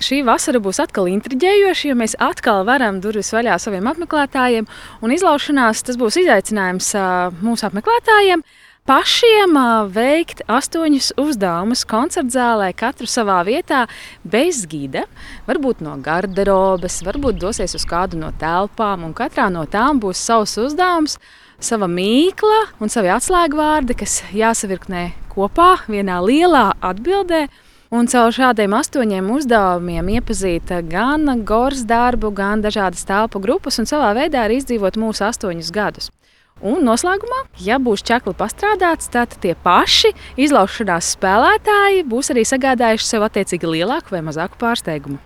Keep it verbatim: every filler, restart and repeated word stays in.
Šī vasara būs atkal intriģējoša, jo mēs atkal varam durvis vaļā saviem apmeklētājiem. Un izlaušanās tas būs izaicinājums mūsu apmeklētājiem pašiem veikt astoņus uzdevumus koncertzālē, katru savā vietā, bez gida. Varbūt no garderobes, varbūt dosies uz kādu no telpām, un katrā no tām būs savs uzdevums, sava mīkla un savi atslēgvārdi, kas jāsavirknē kopā vienā lielā atbildē. Un caur šādiem astoņiem uzdevumiem iepazīt gan Goras darbu, gan dažādas telpu grupas un savā veidā arī izdzīvot mūsu astoņus gadus. Un noslēgumā, ja būs čakli pastrādāts, tad tie paši izlaušanās spēlētāji būs arī sagādājuši sev attiecīgi lielāku vai mazāku pārsteigumu.